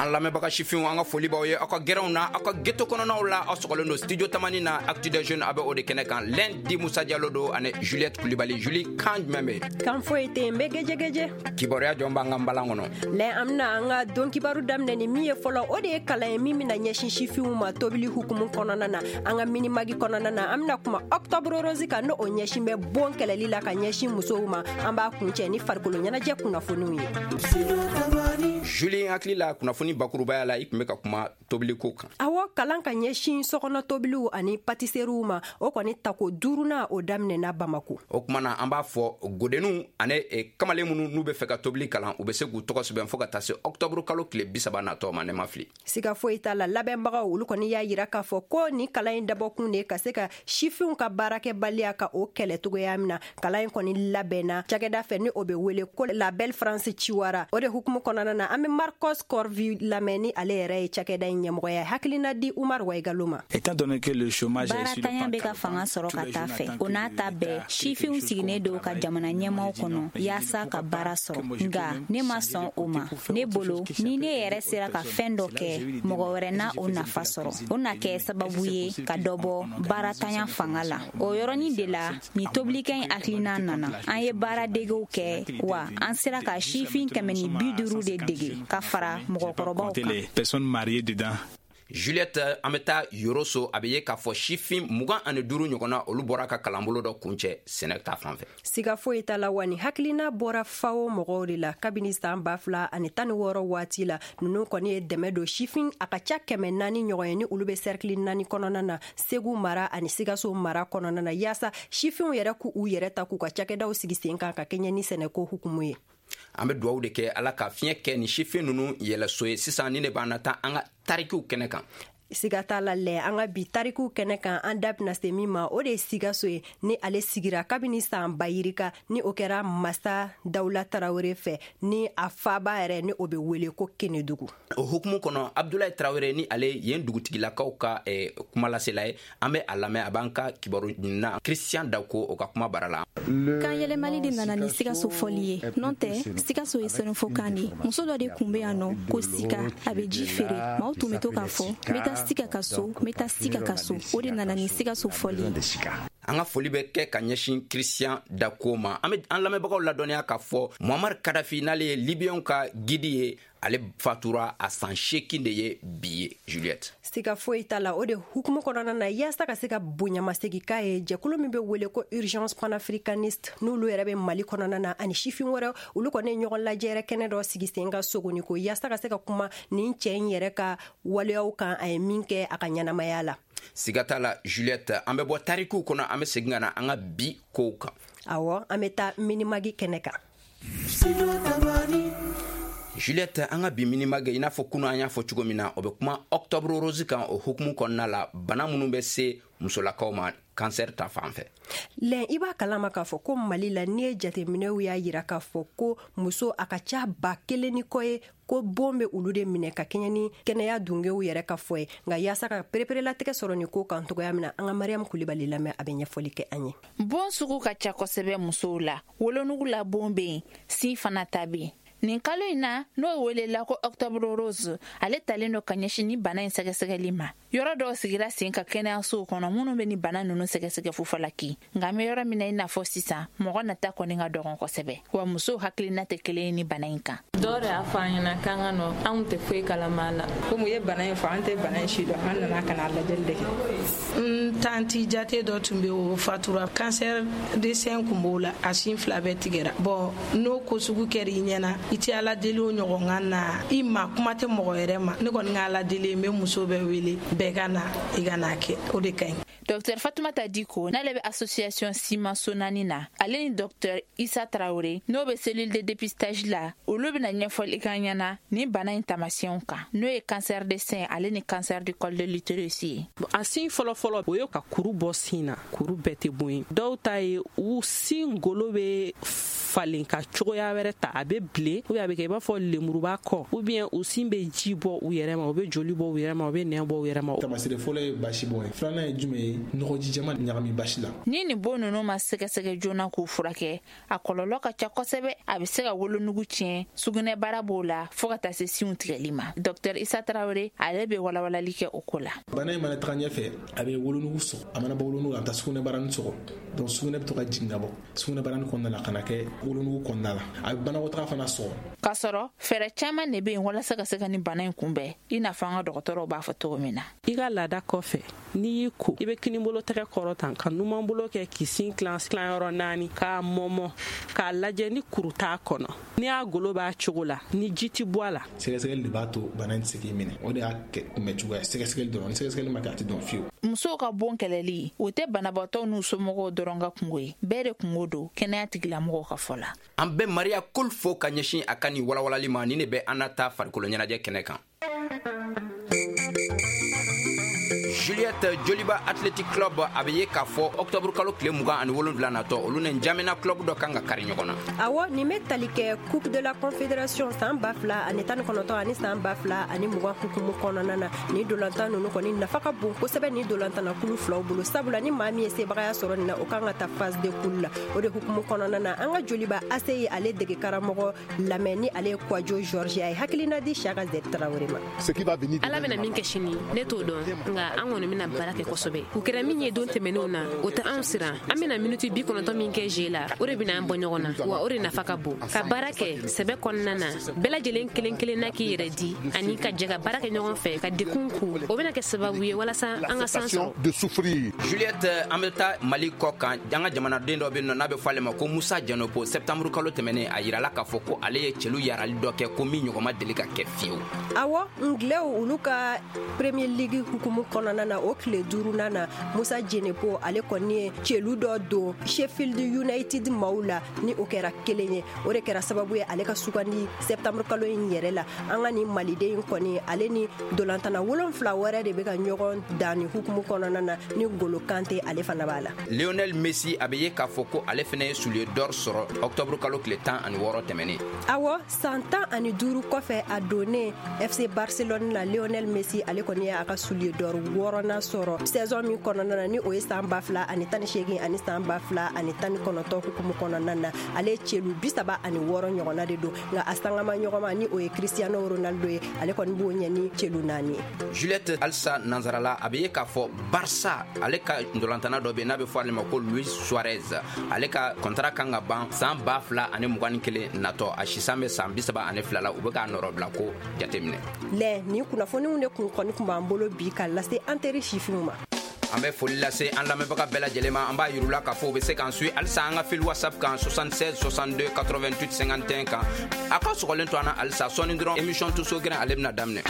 An lamɛnbaga sifinw, an ka foli b'aw ye aw ka gɛrɛnw na, aw ka ghetto kɔnɔnaw la. Aw sɔgɔlen don Studio Tamani na, Actu des Jeunes, a bɛ o de kɛnɛ kan. Lundi, Musa Jalo don ani Juliette Kulibali. Julie, kan jumɛn bɛ yen? Kan foyi tɛ yen, n bɛ gɛjɛgɛjɛ. Kibaruya jɔn b'an ka nbalan kɔnɔ? Lɛ, an bɛna an ka don kibaru daminɛ ni min ye fɔlɔ, o de ye kalan ye min bɛna ɲɛsin sifinw ma tobili hukumu kɔnɔna na. An ka Minimag kɔnɔna na, an bɛna kuma Octobre rose kan, n'o ɲɛsin bɛ bon kɛlɛli la ka ɲɛsin musow ma. An b'a kuncɛ ni farikolo ɲɛnajɛ kunnafoniw ye. Julie, hakili la, kunnafoni bakurubaya la, i tun bɛ ka kuma tobiliko kan. Awɔ, kalan ka ɲɛsin sokɔnɔ tobiliw ani patiseriw ma, o kɔni tako duurunan, o daminɛna Bamako. O kuma na, an b'a fɔ godenninw ani kamalen minnu n'u bɛ fɛ ka tobili kalan, u bɛ se k'u tɔgɔ sɛbɛn fo ka taa se ɔktɔburu kalo tile 30 natɔ ma, ne ma fili. Siga foyi t'a la. Labɛnbagaw, olu kɔni y'a yira k'a fɔ ko ni kalan in dabɔkun de ka se ka sifinw ka baarakɛbaliya ka o kɛlɛ cogoya min na. Kalan in kɔni labɛnna cakɛda fɛ ni o bɛ wele ko La Belle France Ciwara. O de hukumu kɔnɔna na, an bɛ Marcos Corvi lamɛn, ni ale yɛrɛ ye cakɛda in ɲɛmɔgɔya ye, hakilina di Umar Waigalo ma. Baaratanya bɛ ka fanga sɔrɔ ka taa fɛ. O n'a ta bɛɛ, sifinw sigilen don ka jamana ɲɛmaw kɔnɔ yaasa ka baara sɔrɔ, nka ne ma sɔn o ma. Ne bolo, ni ne yɛrɛ sera ka fɛn dɔ kɛ, mɔgɔ wɛrɛ na o nafa sɔrɔ, o na kɛ sababu ye ka dɔ bɔ baaratanya fanga la. O yɔrɔnin de la nin tobilikɛ in hakilina nana. An ye baara degew kɛ wa, an sera ka sifin 150 de dege ka fara mɔgɔkɔrɔbaw kan. Juliette, an bɛ taa Yoroso. A bɛ ye k'a fɔ sifin 25 ɲɔgɔnna, olu bɔra ka kalanbolo dɔ kuncɛ sɛnɛ ta fan fɛ. Siga foyi t'a la wa, ni hakilina bɔra FAO mɔgɔw de la kabini saan 2016 waati la. Ninnu kɔni ye dɛmɛ don sifin a ka ca 400 ɲɔgɔn ye, ni olu bɛ sɛrikili naani kɔnɔna na, Segu mara ani Sikaso mara kɔnɔna na, yaasa sifinw yɛrɛ k'u u yɛrɛ ta, k'u ka cakɛdaw sigi sen kan ka kɛɲɛ ni sɛnɛko hukumu ye. An bɛ duwawu de kɛ, Ala ka fiɲɛ kɛ ni sifin ninnu yɛlɛso ye. Sisan ni ne b'an na taa an ka tarikiw kɛnɛ kan. Siga t'a la lɛ, an ka bi tarikiw kɛnɛ kan, an da bɛna se min ma, o de ye Sikaso ye, ni ale sigira kabini san bayirika, ni o kɛra masa Dawula Tarawele fɛ, ni a faba yɛrɛ ni o bɛ wele ko Kenedugu. O hukumu kɔnɔ, Abdulayi Tarawele, ni ale yen dugutigilakaw ka kumalasela ye, an bɛ a lamɛn. A b'an ka kibaru ɲinina Christian Dako, o ka kuma bara la. Kan yɛlɛmali de nana ni Sikaso fɔli ye, n'o tɛ Sikaso ye sɛnɛfɔkan de ye. Muso dɔ de kun bɛ yan nɔ ko Sika, a bɛ ji feere. Maaw tun bɛ to k'a fɔ: "N bɛ taa Sika ka so, n bɛ taa Sika ka so." O de nana ni Sikaso fɔli ye. An ka foli bɛ kɛ ka ɲɛsin Christian Dako ma. An bɛ an lamɛnbagaw ladɔnniya k'a fɔ Muammar Kadafi, n'ale ye Libiyɛnw ka guide ye, ale fatura, a san 80 de ye bi ye, Juliette. Siga foyi t'a la. O de hukumu kɔnɔna na, yaasa ka se ka bonyamasegi k'a ye, jɛkulu min bɛ wele ko Urgence panafricaniste, n'olu yɛrɛ bɛ Mali kɔnɔna na, ani sifin wɛrɛ, olu kɔni ye ɲɔgɔn lajɛ yɛrɛ kɛnɛ dɔ sigi sen ka sogoni ko yaasa ka se ka kuma nin cɛ in yɛrɛ ka waleyaw kan, a ye min kɛ a ka ɲɛnamaya la. Siga t'a la, Juliette, an bɛ bɔ tarikiw kɔnɔ, an bɛ segin ka na an ka bi kow kan. Awɔ, an bɛ taa Minimag kɛnɛ kan. Juliette, an ka bi Minimag, i n'a fɔ kunu an y'a fɔ cogo min na, o bɛ kuma Octobre rose kan. O hukumu kɔnɔna la, bana minnu bɛ se musolakaw ma kansɛri ta fan fɛ. Lɛn, i b'a kalama k'a fɔ ko Mali la, n'i ye jateminɛw y'a yira k'a fɔ ko muso a ka ca 1000 ni kɔ ye ko bon bɛ olu de minɛ, ka kɛɲɛ ni kɛnɛya dungew yɛrɛ ka fɔ ye. Nka yaasa ka pereperelatigɛ sɔrɔ nin ko kan cogoya min na, an ka Mariyamu Kulibali lamɛn, a bɛ ɲɛfɔli kɛ an ye. Bon sugu ka ca kosɛbɛ musow la. Wolonugu la bon bɛ yen, sin fana ta bɛ yen. Nin kalo in na, n'o welela ko Octobre rose, ale talen don ka ɲɛsin ni bana in sɛgɛsɛgɛli ma. Yɔrɔ dɔw sigira sen ka kɛnɛyasow kɔnɔ minnu bɛ ni bana ninnu sɛgɛsɛgɛ fufalaki. Nka an bɛ yɔrɔ min na i n'a fɔ sisan, mɔgɔ nata kɔni ka dɔgɔn kosɛbɛ, wa musow hakilina tɛ kelen ye ni bana in kan. Dɔw de y'a fɔ an ɲɛna k'an ka nɔ. Anw tɛ foyi kalama la. Komi u ye bana in fɔ, an tɛ bana in si dɔn, an nana ka na lajɛli de kɛ. N tanti jate dɔ tun bɛ, o fatura, cancer de sein kun b'o la, a sin fila bɛɛ tigɛra. Bɔn, n'o ko sugu kɛra i ɲɛna, i tɛ Ala deli o ɲɔgɔn ka na i ma, kuma tɛ mɔgɔ yɛrɛ ma. Ne kɔni ka Ala deli, n bɛ muso bɛɛ wele, bɛɛ ka na, i ka n'a kɛ, o de ka ɲi. Dr Fatumata Diko, n'ale bɛ association Sima Sonani na, ale ni Dr Isa Tarawele, n'o bɛ cellule de dépistage la, olu bɛna ɲɛfɔli k'an ɲɛna ni bana in taamasiyɛnw kan, n'o ye cancer de sein ale ni cancer du col de l'utérus ye. A sin fɔlɔfɔlɔ, o ye ka kuru bɔ sin na. Kuru bɛɛ tɛ bon ye. Dɔw ta ye, u sin golo bɛ falen ka cogoya wɛrɛ ta, a bɛ bilen ou bien a bɛ kɛ i b'a fɔ lemuruba kɔ, ou bien u sin bɛ ji bɔ u yɛrɛ ma, u bɛ joli bɔ u yɛrɛ ma, u bɛ nɛn bɔ u yɛrɛ ma. Taamasiyɛn fɔlɔ ye basi bɔn ye, filanan ye jumɛn ye? Nɔgɔji jɛman ɲagami basi la. Ni nin bon ninnu ma sɛgɛsɛgɛ joona k'u furakɛ, a kɔlɔlɔ ka ca kosɛbɛ. A bɛ se ka wolonugu tiɲɛ, sugunɛbara b'o la, fo ka taa se sinw tigɛli ma. Dr Isa Tarawele, ale bɛ walawalali kɛ o ko la. Bana in mana taga ɲɛfɛ, a bɛ wolonugu sɔgɔ. A mana bɔ wolonugu, a bɛ taa sugunɛbarani sɔgɔ. Donc sugunɛ bɛ to ka jigin ka bɔ sugunɛbarani kɔnɔna la ka na kɛ wolonugu kɔnɔna la. A bɛ banakɔtaga fana sɔgɔ. K'a sɔrɔ fɛɛrɛ caman de bɛ yen walasa ka se ka nin bana in kunbɛn, i n'a fɔ an ka dɔgɔtɔrɔw b'a fɔ cogo min na. I ka laada kɔfɛ, n'i y'i ko, i bɛ kinibolo tɛgɛ kɔrɔ tan ka numanbolo kɛ k'i sin tilan tilanyɔrɔ naani, k'a mɔmɔ k'a lajɛ ni kuru t'a kɔnɔ, n'i y'a golo b'a cogo la, ni ji ti bɔ a la. Sɛgɛsɛgɛli de b'a to bana in tɛ se k'i minɛ. O de y'a kunbɛ cogoya, sɛgɛsɛgɛli dɔrɔn. Ni sɛgɛsɛgɛli ma kɛ, a tɛ dɔn fiyewu. Musow ka bon kɛlɛli, o tɛ banabaatɔw n'u somɔgɔw dɔrɔn ka kungo ye, bɛɛ de kungo don, kɛnɛya tigilamɔgɔw ka fɔ la. An bɛ Maria Kol fo ka ɲɛsin a ka nin walawalali ma. Nin de bɛ an na taa farikolo ɲɛnajɛ kɛnɛ kan. Juliette, Joliba Athletic Club a bɛ ye k'a fɔ octobre kalo tile 27 natɔ, olu ni N'Djamena club dɔ kan ka kari ɲɔgɔn na. Awɔ, nin bɛ tali kɛ Coupe de la Confédération san 2019 ani san 2020 hukumu kɔnɔna na. Nin dolantan ninnu kɔni nafa ka bon kosɛbɛ nin dolantanna kulu filaw bolo, sabula ni maa min ye sebagaya sɔrɔ nin na, o kan ka taa phase de poule la. O de hukumu kɔnɔna na, an ka Joliba AC ye ale dege karamɔgɔ lamɛn, ni ale ye Kwadjo Georges, a ye hakilina di Siaka Z Traoré ma. Ala bɛna min kɛ sini, ne t'o dɔn, nka an kɔni bɛna baara kɛ kosɛbɛ. U kɛra min ye don tɛmɛnenw na, o tɛ anw siran. An bɛna miniti 90 min kɛ jeu la, o de bɛna an bɔ ɲɔgɔn na, wa o de nafa ka bon. Ka baara kɛ sɛbɛ kɔnɔna na, bɛɛ lajɛlen kelen kelenna k'i yɛrɛ di ani ka jɛ ka baara kɛ ɲɔgɔn fɛ ka dekun ku, o bɛna kɛ sababu ye walasa an ka san sɔrɔ. Juliette, an bɛ taa Mali kɔ kan. An ka jamanaden dɔ bɛ yen nɔ n'a bɛ fɔ ale ma ko Musa Janopo. Septembre kalo tɛmɛnen, a yirala k'a fɔ ko ale ye celu yarali dɔ kɛ, ko min ɲɔgɔn ma deli ka kɛ fiyewu. Awɔ, Anglais olu ka Premier League hukumu kɔnɔna na, o tile duurunan na, Musa Jenepo ale kɔni ye celu dɔ don Sheffield United maaw la, ni o kɛra kelen ye. O de kɛra sababu ye ale ka sugandi septembre kalo in yɛrɛ la. An ka nin maliden in kɔni, ale ni dolantana 7 wɛrɛ de bɛ ka ɲɔgɔn dan ni hukumu kɔnɔna na, ni Golo Kante ale fana b'a la. Lionel Messi a bɛ ye k'a fɔ ko ale fana ye soulier d'or sɔrɔ octobre kalo tile 16 tɛmɛnen. Awɔ, san 15 kɔfɛ a donnen FC Barcelone la, Lionel Messi ale kɔni ye a ka soulier d'or wɔɔrɔnan sɔrɔ saison min kɔnɔna na, ni o ye san 2018 ani san 2019 hukumu kɔnɔna na. Ale celu 36 ɲɔgɔnna de don, nka a sangama ɲɔgɔnma, ni o ye Cristiano Ronaldo ye, ale kɔni b'o ɲɛ ni celu 4 ye. Juliette, halisa nansarala, a bɛ ye k'a fɔ Barça ale ka ntolantana dɔ bɛ yen n'a bɛ fɔ ale ma ko Luis Suarez, ale ka contrat kan ka ban san 2021 natɔ. A sisan bɛ san 32 la, u bɛ k'a nɔrɔbila ko jateminɛ. Lɛ, nin kunnafoniw de kun kɔni kun b'an bolo bi ka lase an teri sifinw ma. An bɛ foli lase an lamɛnbaga bɛɛ lajɛlen ma. An b'a yir'u la k'a fɔ u bɛ se k'an suit halisa an ka fil WhatsApp kan 76 62 88 51 kan. A ka sɔgɔlen to an na halisa, sɔɔni dɔrɔn, émission Tuso Gɛrɛn ale bɛna daminɛ.